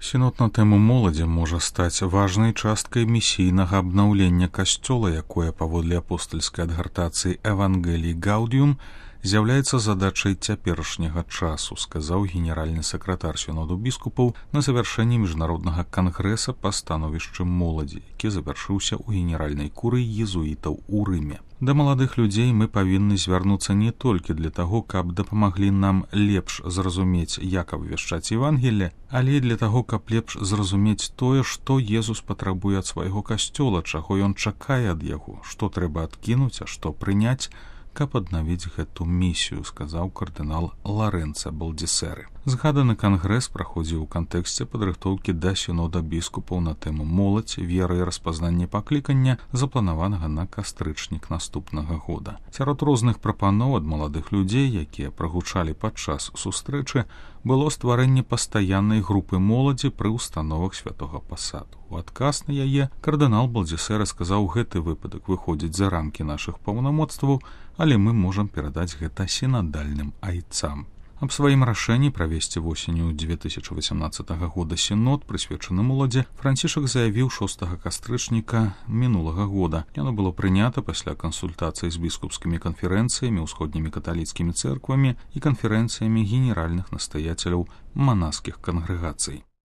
Сінод на тэму моладзі можа стаць важнай часткай місійнага абнаўлення касцёла, якое, паводле апостальскай адгартацыі Евангелій Гаудіум, з'яўляецца задачай цяперашняга часу, сказаў генеральны сакратар сіноду біскупаў на завяршэнні міжнароднага кангрэса па становішчы моладзі, які завяршыўся ў генеральнай курыі езуітаў у Рыме. Да маладых людзей мы павінны звярнуцца не толькі для таго, каб дапамаглі нам лепш зразумець, як абвяшчаць Евангелле, але і для таго, каб лепш зразумець тое, што Езус патрабуе ад свайго касцёла, чаго ён чакае ад яго, што трэба адкінуць, а што прыняць, каб аднавіць гэту місію, сказаў кардынал Ларэнца Балдзісеры. Згаданы кангрэс праходзіў у кантэксце падрыхтоўкі да сінода біскупаў на тэму моладзь, вера і распазнанне паклікання, запланаванага на кастрычнік наступнага года. Сярод розных прапаноў ад маладых людзей, якія прагучалі падчас сустрэчы, было стварэнне пастаяннай групы моладзі пры ўстановах святога пасаду. У адказ на яе кардынал Балдзісеры сказаў, гэты выпадак выходзіць за рамкі нашых паўнамоцтваў, але мы можам перадаць гэта сінадальным айцам. Аб сваім рашэнні правесці восенню 2018 года сінод, прысвечаны моладзі, Францішак заявіў 6 кастрычніка мінулага года. Яно было прынята пасля кансультацый з біскупскімі канферэнцыямі, усходнімі каталіцкімі цэрквамі і канферэнцыямі генеральных настаяцеляў манаскіх кангрэгацый.